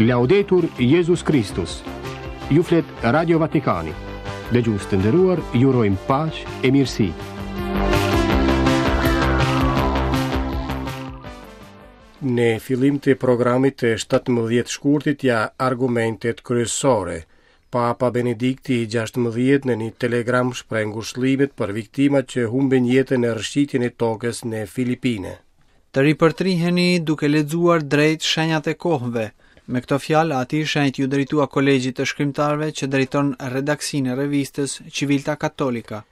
Laudetur Jezus Kristus. Ju flet Radio Vatikani. Dëgjues të nderuar, ju urojmë paqe e mirësi. Në fillim të programit të 17 shkurtit ja argumentet kryesore. Papa Benedikti i 16 në një telegram shpreh ngushëllimet për viktimat që humbën jetën në rrëshqitjen e tokës në Filipine. Të ripërtriheni duke lexuar drejt shenjat e kohëve. Me këto fjalë, Ati i Shenjtë iu drejtua Kolegjit të Shkrimtarëve që drejton redaksinë e revistës Civiltà Cattolica.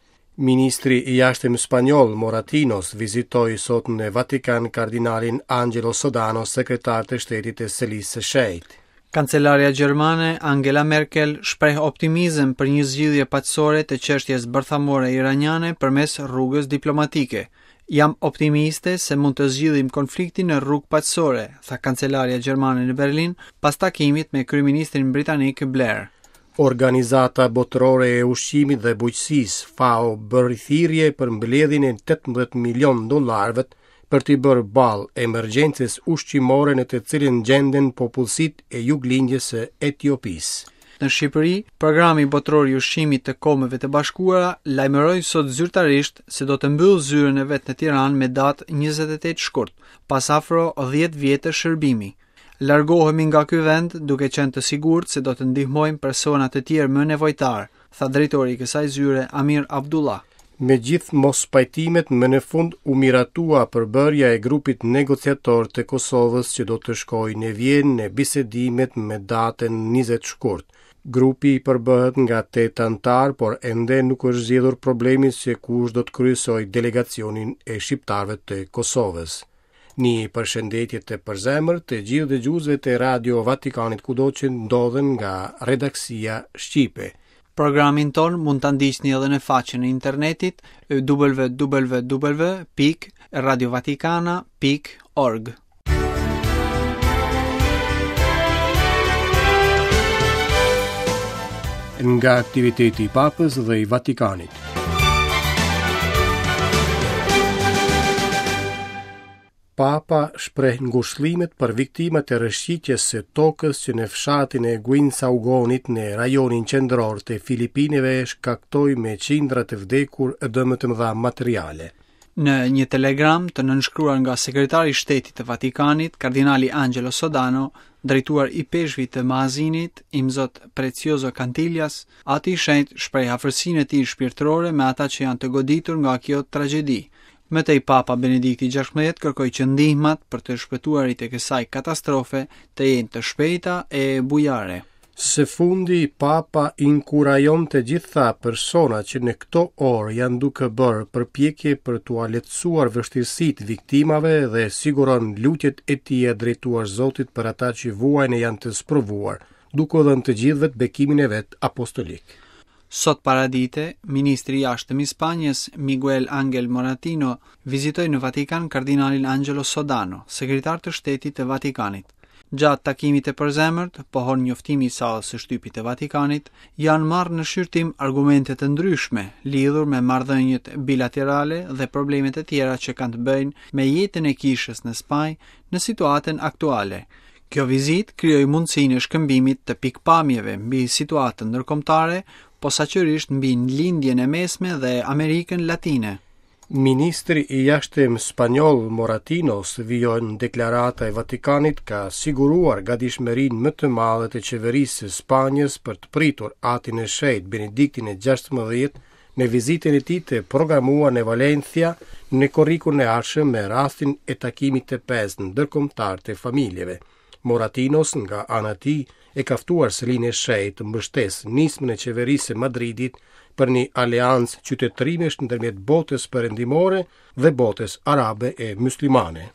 Ministri i Jashtëm spanjoll Moratinos vizitoi sot në Vatikan kardinalin Angelo Sodano, sekretar të shtetit të Selisë së Shenjtë. Kancelarja gjermane Angela Merkel shpreh optimizëm për një zgjidhje paqësore të çështjes bërthamore iraniane përmes rrugës diplomatike. Jam optimiste se mund të zgjidhim konfliktin në rrugë paqësore, tha kancelarja gjermane në Berlin pas takimit me kryeministrin britanik Blair. Organizata Botërore e Ushqimit dhe Bujqësisë, FAO, bëri thirrje për mbledhjen e 18 milion dollarëve për t'i bërë ballë emergjencës ushqimore në të cilën gjenden popullsitë e juglindjes së Etiopisë. Në Shqipëri, Programi Botëror i Ushqimit të Kombeve të Bashkuara lajmëroi sot zyrtarisht se do të mbyllë zyrën e vet në Tiranë me datë 28 shkurt, pas afro 10 vjetësh shërbimi. Largohemi nga ky vend duke qenë të sigurt se do të ndihmojmë persona të tjerë më nevojtarë, tha drejtori i kësaj zyre Amir Abdullah. Me gjithë mospajtimet, më në fund u miratua përbërja e grupit negociator të Kosovës që do të shkojë në Vjenë në bisedimet me datën 20 shkurt. Grupi përbëhet nga 8 anëtarë, por ende nuk është zgjidhur problemi se kush do të kryesojë delegacionin e shqiptarëve të Kosovës. Një përshëndetje të përzemërt të gjithë dëgjuesve të Radio Vatikanit kudo që ndodhen nga redaksia shqipe. Programin tonë mund ta ndiqni edhe në faqen e internetit www.radiovatikana.org. Nga aktiviteti i Papës dhe i Vatikanit. Papa shpreh ngushëllimet për viktimat e rrëshqitjes së tokës që në fshatin e Guinsaugonit në rajonin qendror të Filipineve shkaktoi me qindra të vdekur e dëme të mëdha materiale. Në një telegram të nënshkruar nga sekretari i shtetit të Vatikanit, kardinali Angelo Sodano, drejtuar ipeshkvit të Maasinit, imzot Precioso Cantillas, Ati i Shenjtë shpreh afërsinë e tij shpirtërore me ata që janë të goditur nga kjo tragjedi. Më tej Papa Benedikti XVI kërkoi që ndihmat për të shpëtuarit e kësaj katastrofe të jenë të shpejta e bujare. Së fundi, Papa inkurajon të gjitha personat që në këto orë janë duke bërë përpjekje për t'ua lehtësuar vështirësitë viktimave dhe siguron lutjet e tija drejtuar Zotit për ata që vuajnë e janë të sprovuar, duke u dhënë të gjithëve bekimin e vet apostolik. Sot paradite, ministri i Jashtëm i Spanjës, Miguel Angel Moratino, vizitoi në Vatikan kardinalin Angelo Sodano, sekretar të shtetit të Vatikanit. Gjatë takimit të përzemërt, pohon njoftimi i sallës së shtypit të Vatikanit, janë marrë në shqyrtim argumente të ndryshme lidhur me marrëdhëniet bilaterale dhe problemet e tjera që kanë të bëjnë me jetën e kishës në Spanjë në situatën aktuale. Kjo vizitë krijoi mundësinë e shkëmbimit të pikëpamjeve mbi situatën ndërkombëtare, posaçërisht mbi Lindjen e Mesme dhe Amerikën Latine. Ministri i Jashtëm spanjoll Moratinos, vijon deklarata e Vatikanit, ka siguruar gatishmërinë më të madhe të qeverisë së Spanjës për të pritur Atin e Shenjtë Benediktin e XVI në vizitën e tij të programuar në Valencia në korrikun e ardhshëm me rastin e takimit të pestë ndërkombëtar të familjeve. Moratinos nga ana e tij e ka ftuar Selinë e Shenjtë të mbështesë nismën e qeverisë së Madridit për një aleancë qytetërimesh ndërmjet botës perëndimore dhe botës arabe e myslimane.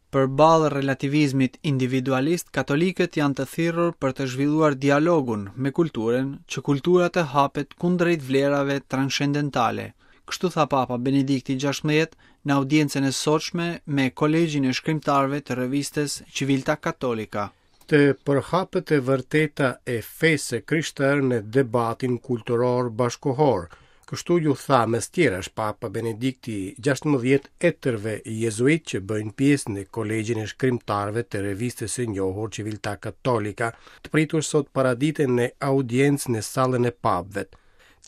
Përballë relativizmit individualist, katolikët janë të thirrur për të zhvilluar dialogun me kulturën, që kultura të hapet kundrejt vlerave transcendentale. Kështu tha Papa Benedikti XVI në audiencën e sotshme me Kolegjin e Shkrimtarëve të revistës Civiltà Cattolica. Të përhapet e vërteta e fesë së krishterë në debatin kulturor bashkëkohor. Kështu ju tha mes tjerash Papa Benedikti XVI etërve jezuitë që bëjnë pjesë në Kolegjin e Shkrimtarëve të revistës së njohur Civiltà Cattolica, të pritur sot paradite në audiencë në sallën e papëve.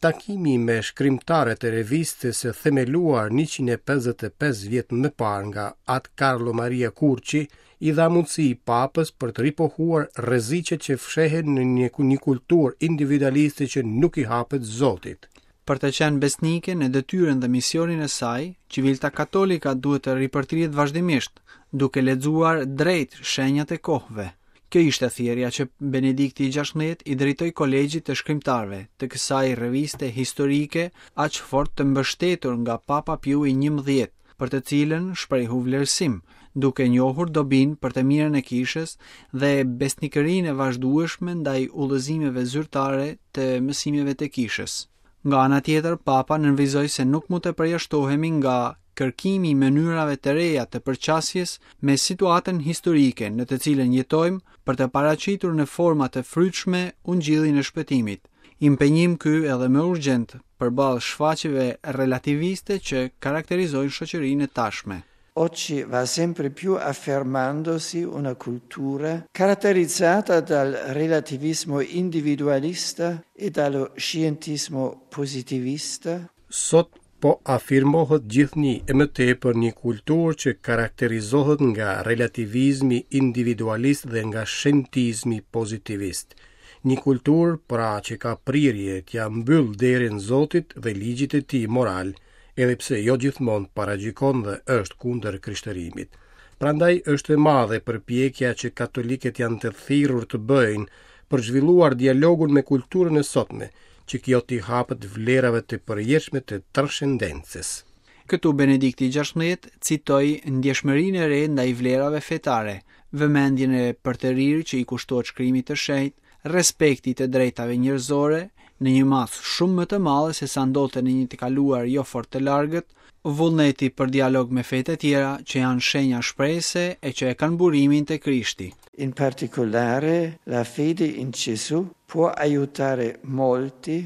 Takimi me shkrimtarët e revistës së themeluar 155 vjet më parë nga At Carlo Maria Curci i dha mundësi Papës për të ripohuar rreziqet që fshehen në një, një kulturë individualiste që nuk i hapet Zotit. Për të qenë besnike në detyrën dhe misionin e saj, Civiltà Cattolica duhet të ripërtrihet vazhdimisht, duke lexuar drejt shenjat e kohëve. Kjo ishte thirrja që Benedikti i XVI i drejtoi Kolegjit të Shkrimtarëve të kësaj reviste historike aq fort të mbështetur nga Papa Piu i XI, për të cilën shprehu vlerësim, duke njohur dobinë për të mirën e kishës dhe besnikërinë e vazhdueshme ndaj udhëzimeve zyrtare të mësimeve të kishës. Nga ana tjetër, Papa nënvizoi se nuk mund të përjashtohemi nga kërkimi i mënyrave të reja të përqasjes me situatën historike në të cilën jetojmë për të paraqitur në forma të frytshme ungjillin e shpëtimit. Impenjim ky edhe më urgjent përballë shfaqjeve relativiste që karakterizojnë shoqërinë e tashme. Oggi va sempre più affermandosi una cultura caratterizzata dal relativismo individualista e dallo scientismo positivista. Sot po afirmohet gjithnjë e më tepër një kulturë që karakterizohet nga relativizmi individualist dhe nga shentizmi pozitivist. Një kulturë pra që ka prirje t'ia mbyllë derën Zotit dhe ligjit të tij moral, edhe pse jo gjithmonë paragjykon dhe është kundër krishterimit. Prandaj është e madhe përpjekja që katolikët janë të thirrur të bëjnë për zhvilluar dialogun me kulturën e sotme, që kjo t'i hapet vlerave të përjetshme të transhendencës. Këtu Benedikti XVI citoi ndjeshmërinë e re ndaj vlerave fetare, vëmendjen e përtërirë që i kushtohet shkrimit të shenjtë, respekti i të drejtave njerëzore, në një masë shumë më të madhe se sa ndodhte në një të kaluar jo fort të largët, vullneti për dialog me fetë e tjera që janë shenja shprese e që e kanë burimin te Krishti. In particolare, la fede in Gesù può aiutare molti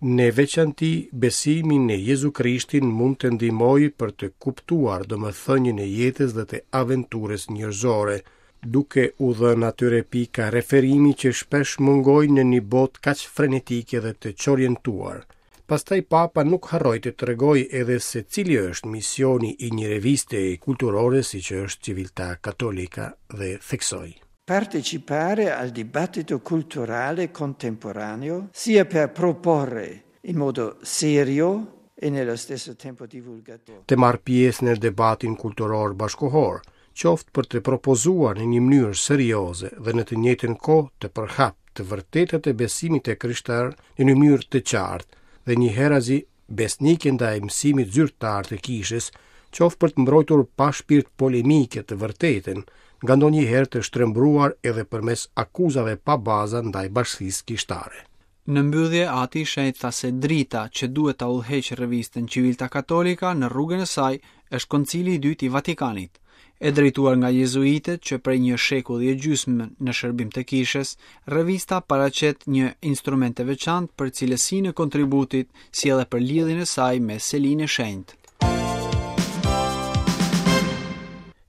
Në veçanti, besimi në Jezu Krishtin mund të ndihmojë për të kuptuar domethënien e jetës dhe të aventurës njerëzore, duke u dhënë atyre pika referimi që shpesh mungojnë në një botë kaq frenetike dhe të çorientuar. Pastaj Papa nuk harroi të tregojë edhe se cili është misioni i një reviste kulturore siç është Civiltà Cattolica dhe theksoi. Partecipare al dibattito culturale contemporaneo, sia per proporre in modo serio e nello stesso tempo divulgativo. Të marrë pjesë në debatin kulturor bashkëkohor, qoftë për të propozuar në një mënyrë serioze dhe në të njëjtën kohë të përhapë të vërtetat e besimit të krishterë në një mënyrë të qartë dhe njëherazi besnike ndaj mësimit zyrtar të kishës, qoftë për të mbrojtur pa shpirt polemike të vërtetën, ngandonjëherë të shtrembëruar edhe përmes akuzave pa baza ndaj bashkësisë kishtare. Në mbyllje, Ati i Shenjtë tha se drita që duhet ta udhëheqë revistën Civiltà Cattolica në rrugën e saj është Koncili i Dytë i Vatikanit. E drejtuar nga jezuitët që prej një shekulli e gjysmë në shërbim të kishës, revista paraqet një instrument të veçantë për cilësinë e kontributit, si edhe për lidhjen e saj me Selinë e Shenjtë.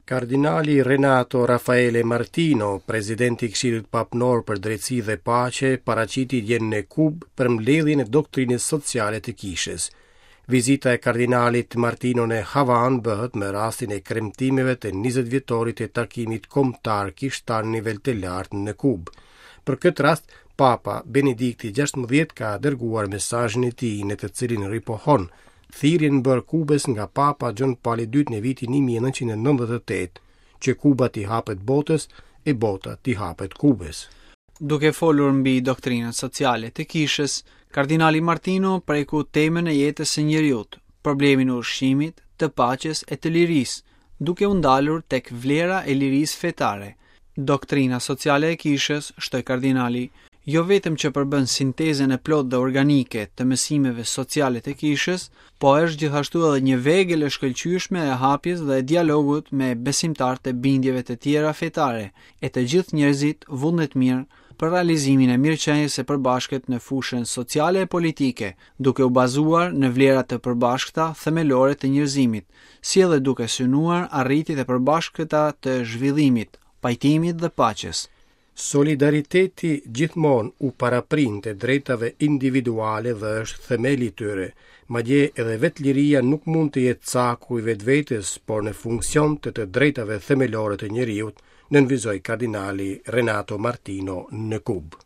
Kardinali Renato Raffaele Martino, presidenti i Këshillit Papnor për Drejtësi dhe Paqe, paraqiti dje në Kubë përmbledhjen e doktrinës sociale të kishës. Vizita e kardinalit Martino në Havanë bëhet me rastin e kremtimeve të 20 vjetorit të takimit kombëtar kishtar në nivel të lartë në Kubë. Për këtë rast, Papa Benedikti XVI ka dërguar mesazhin e tij në të cilin ripohon thirrjen bërë Kubës nga Papa Gjon Pali II në vitin 1998, që Kuba t'i hapet botës e bota t'i hapet Kubës. Duke folur mbi doktrinën sociale të kishës, kardinali Martino preku temën e jetës së njeriut, problemin e ushqimit, të paqes e të lirisë, duke u ndalur tek vlera e lirisë fetare. Doktrina sociale e kishës, shtoi kardinali, jo vetëm që përbën sintezën e plotë dhe organike të mësimeve sociale të kishës, po është gjithashtu edhe një vegël e shkëlqyeshme e hapjes dhe e dialogut me besimtarët e bindjeve të tjera fetare, e të gjithë njerëzit vullnetmirë. për realizimin e mirëqenies së përbashkët në fushën sociale e politike, duke u bazuar në vlera të përbashkëta themelore të njerëzimit, si edhe duke synuar arritjet e përbashkëta të zhvillimit, pajtimit dhe paqes. Solidariteti gjithmonë u paraprin të drejtave individuale dhe është themeli i tyre. Madje edhe vetë liria nuk mund të jetë caku i vetvetes, por në funksion të të drejtave themelore të njeriut, nënvizoi kardinali Renato Martino në Kubë.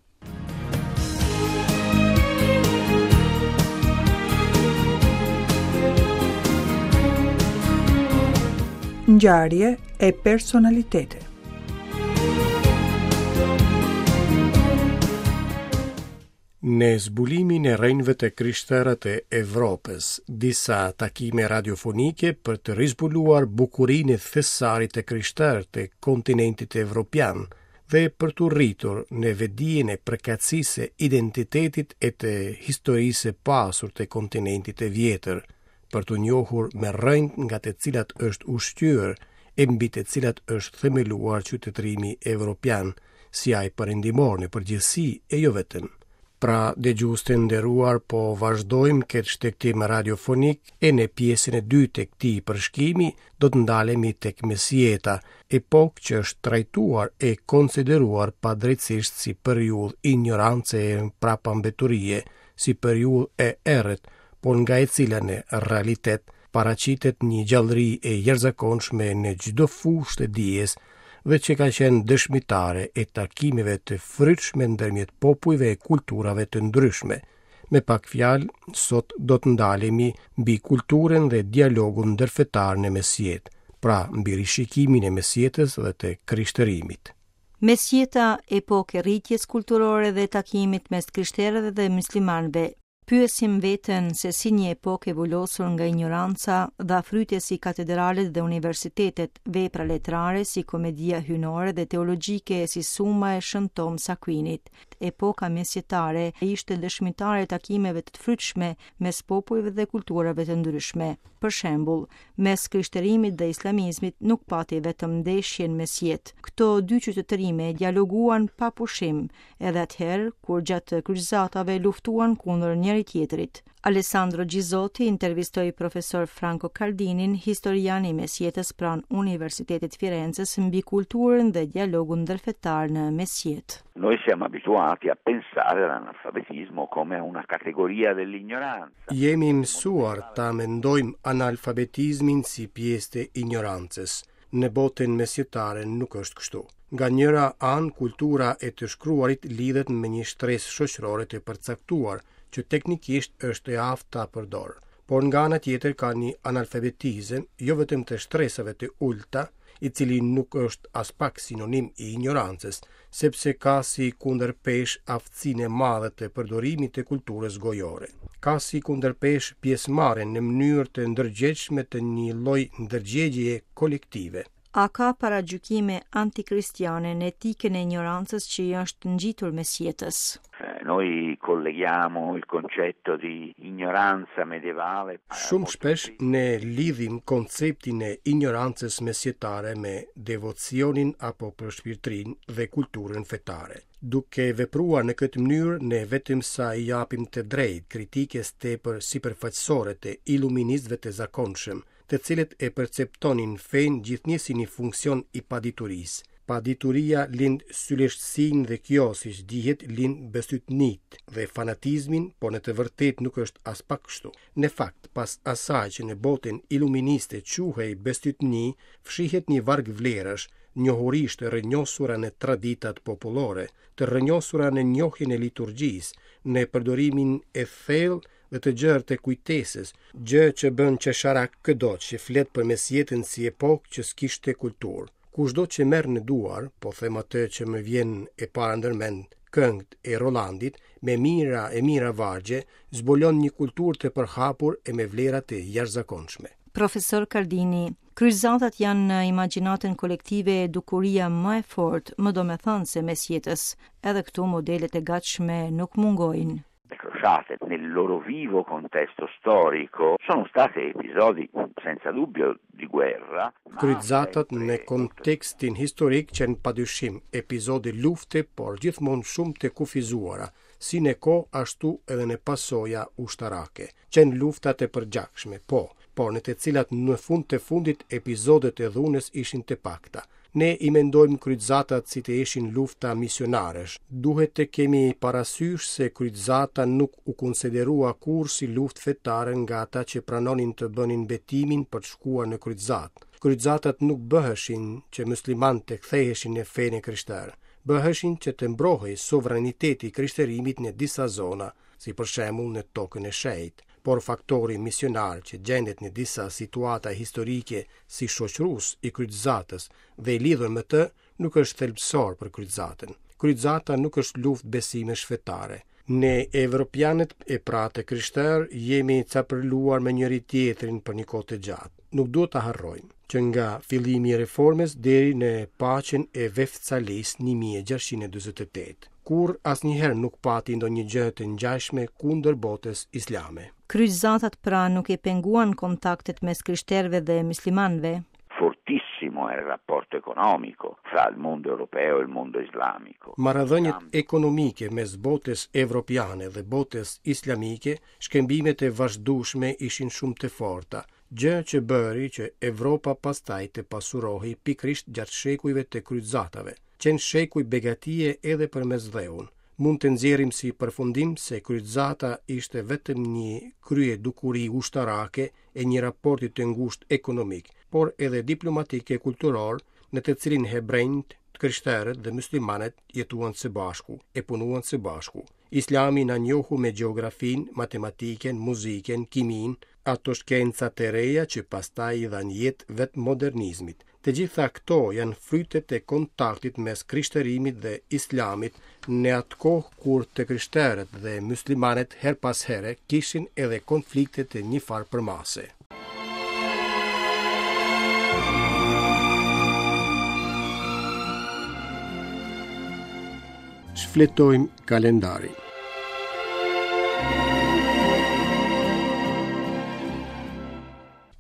Ngjarje e personalitete. Në zbulimin e rrënjëve të krishtera të Evropës, disa takime radiofonike për të rizbuluar bukurinë e thesarit të krishterë të kontinentit evropian dhe për t'u rritur në vetëdijen e përkatësisë së identitetit e të historisë së pasur të kontinentit të vjetër, për t'u njohur me rrënjët nga të cilat është ushqyer e mbi të cilat është themeluar qytetërimi evropian, si ai perëndimor në përgjithësi e jo vetëm. Pra, dëgjues të nderuar, po vazhdojmë këtë shtegtim radiofonik e në pjesën e dytë të këtij përshkimi do të ndalemi tek mesjeta, epokë që është trajtuar e konsideruar padrejtësisht si periudhë injorance e prapambeturie, si periudhë e errët, por nga e cila në realitet paraqitet një gjallëri e jashtëzakonshme në çdo fushë të dijes dhe që ka qenë dëshmitare e takimeve të frytshme ndërmjet popujve e kulturave të ndryshme. Me pak fjalë, sot do të ndalemi mbi kulturën dhe dialogun ndërfetar në mesjetë, pra mbi rishikimin e mesjetës dhe të krishterimit. Mesjeta, epokë e rritjes kulturore dhe takimit mes krishterëve dhe myslimanëve, Pyesim veten se si një epokë e vulosur nga injoranca dha fryte si katedralet dhe universitetet, vepra letrare si komedia hyjnore dhe teologjike si Suma e Shën Toms Akuinit. Epoka mesjetare ishte dëshmitare e takimeve të frytshme mes popujve dhe kulturave të ndryshme. Për shembull, mes krishterimit dhe islamizmit nuk pati vetëm ndeshje në mesjetë. Këto dy qytetërime dialoguan pa pushim, edhe atëherë kur gjatë kryqëzatave luftuan kundër njëri-tjetrit. Alessandro Gisotti intervistoi profesor Franco Cardinin, historian i mesjetës pranë Universitetit Firences mbi kulturën dhe dialogun ndërfetar në mesjetë. Noi siamo abituati a pensare all'analfabetismo come a una categoria dell'ignoranza. Jemi mësuar ta mendojmë analfabetizmin si pjesë të injorancës. Në botën mesjetare nuk është kështu. Nga njëra anë, kultura e të shkruarit lidhet me një shtresë shoqërore të përcaktuar, që teknikisht është e aftë ta përdorë. Por nga ana tjetër ka një analfabetizëm, jo vetëm të shtresave të ulëta, i cili nuk është aspak sinonim i injorancës, sepse ka si kundërpeshë aftësinë e madhe të përdorimit të kulturës gojore. Ka si kundërpeshë pjesëmarrjen në mënyrë të ndërgjegjshme të një lloj ndërgjegjeje kolektive. A ka paragjykime antikristiane në etikën e injorancës që i është ngjitur mesjetës? Noi colleghiamo il concetto di ignoranza medievale. Shumë shpesh ne lidhim konceptin e injorancës mesjetare me devocionin apo përshpirtërinë dhe kulturën fetare. Duke vepruar në këtë mënyrë, ne vetëm sa i japim të drejtë kritikës tepër sipërfaqësore të iluministëve të zakonshëm, të cilët e perceptonin fenë gjithnjë si një funksion i paditurisë. Padituria lind syleshtësinë dhe kjo, siç dihet, lind bestytnitë dhe fanatizmin, por në të vërtetë nuk është aspak kështu. Në fakt, pas asaj që në botën iluministe quhej bestytni, fshihet një varg vlerash, njohurish të rrënjosura në traditat popullore, të rrënjosura në njohjen e liturgjisë, në përdorimin e thellë dhe të gjerë të kujtesës, gjë që bën qesharak këdo që flet për mesjetën si epokë që s'kishte kulturë. Kushdo që merr në duar, po them atë që më vjen e para ndërmend, këngët e Rolandit, me mijëra e mijëra vargje, zbulon një kulturë të përhapur e me vlera të jashtëzakonshme. Profesor Cardini, Kryqëzatat janë në imagjinatën kolektive dukuria më e fortë, më domethënëse e mesjetës. Edhe këtu modelet e gatshme nuk mungojnë. Le crociate nel loro vivo contesto storico sono state episodi senza dubbio di guerra. Kryqëzatat në kontekstin historik qenë padyshim episode lufte, por gjithmonë shumë të kufizuara, si në kohë ashtu edhe në pasoja ushtarake. Qenë lufta të përgjakshme, po, por në të cilat në fund të fundit episodet e dhunës ishin të pakta. Ne i mendojmë kryqëzatat si të ishin lufta misionarësh. Duhet të kemi parasysh se kryqëzata nuk u konsiderua kurrë si luftë fetare nga ata që pranonin të bënin betimin për të shkuar në kryqëzatë. Kryqëzatat nuk bëheshin që muslimanët të ktheheshin në fenë e krishterë. Bëheshin që të mbrohej sovraniteti i krishterimit në disa zona, si për shembull në Tokën e Shenjtë. Por faktori misionar që gjendet në disa situata historike si shoqërues i kryqëzatës dhe i lidhur me të, nuk është thelbësor për kryqëzatën. Kryqëzata nuk është luftë besimesh fetare. Ne evropianët e pra të krishterë jemi capërluar me njëri-tjetrin për një kohë të gjatë. Nuk duhet ta harrojmë që nga fillimi i reformës deri në paqen e Vestfalisë 1648. Kurrë asnjëherë nuk pati ndonjë gjë të ngjashme kundër botës islame. Kryqëzatat pra nuk e penguan kontaktet mes krishterëve dhe myslimanëve. Fortissimo era il rapporto economico fra il mondo europeo e il mondo islamico. Marrëdhëniet ekonomike mes botës evropiane dhe botës islamike, shkëmbimet e vazhdueshme ishin shumë të forta, gjë që bëri që Evropa pastaj të pasurohej pikërisht gjatë shekujve të kryqëzatave. Qenë shekuj begatie edhe për Mesdheun. Mund të nxjerrim si përfundim se kryqëzata ishte vetëm një kryedukuri ushtarake e një raporti të ngushtë ekonomik, por edhe diplomatik e kulturor, në të cilin hebrenjtë, të krishterët dhe myslimanët jetuan së bashku e punuan së bashku. Islami na njohu me gjeografinë, matematikën, muzikën, kiminë, ato shkenca të reja që pastaj i dhanë jetë vetë modernizmit. Të gjitha këto janë frytet e kontaktit mes krishterimit dhe islamit në atë kohë kur të krishterët dhe myslimanët herë pas here kishin edhe konflikte të njëfarë përmase. Shfletojmë kalendarin.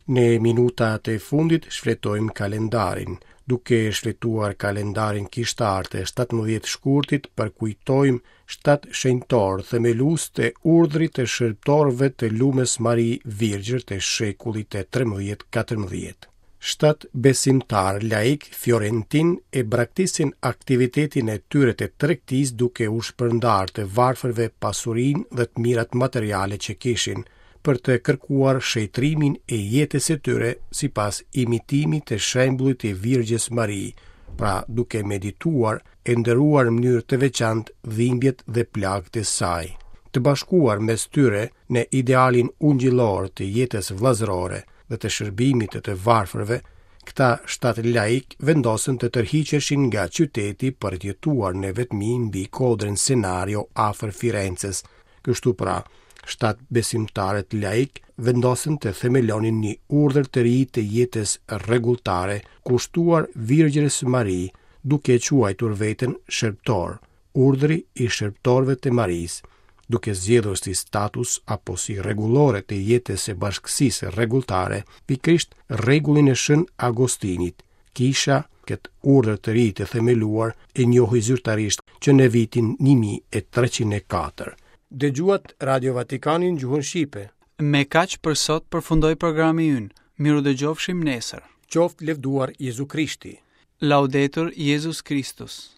Në minutat e fundit shfletojmë kalendarin. Duke shfletuar kalendarin kishtar të 17 shkurtit, përkujtojmë shtatë shenjtorë themelues të urdhrit të shërbëtorëve të Lumës Mari Virgjër të shekullit të 13-14. Shtatë besimtarë laikë fiorentinë e braktisin aktivitetin e tyre të tregtisë duke u shpërndarë të varfërve pasurinë dhe të mirat materiale që kishin, për të kërkuar shenjtërimin e jetës së tyre sipas imitimit të shembullit të Virgjës Mari, pra duke medituar e nderuar në mënyrë të veçantë dhimbjet dhe plagët e saj. Të bashkuar mes tyre në idealin ungjillor të jetës vëllazërore dhe të shërbimit të të varfërve, këta shtatë laikë vendosën të tërhiqeshin nga qyteti për të jetuar në vetmi mbi kodrën Senario afër Firences. Kështu pra, shtatë besimtarët laikë vendosën të themelonin një urdhër të ri të jetës rregulltare kushtuar Virgjërës Mari, duke e quajtur veten shërbëtor, Urdhri i Shërbëtorëve të Marisë, duke zgjedhur si status apo si rregullore të jetës së bashkësisë rregulltare pikërisht rregullin e Shën Agostinit. Kisha këtë urdhër të ri të themeluar e njohi zyrtarisht që në vitin 1304. Dëgjuat Radio Vatikanin në gjuhën shqipe. Me kaq për sot përfundoi programi ynë. Mirudëgjofshim nesër. Qoftë lëvduar Jezu Krishti. Laudetur Jezus Christus.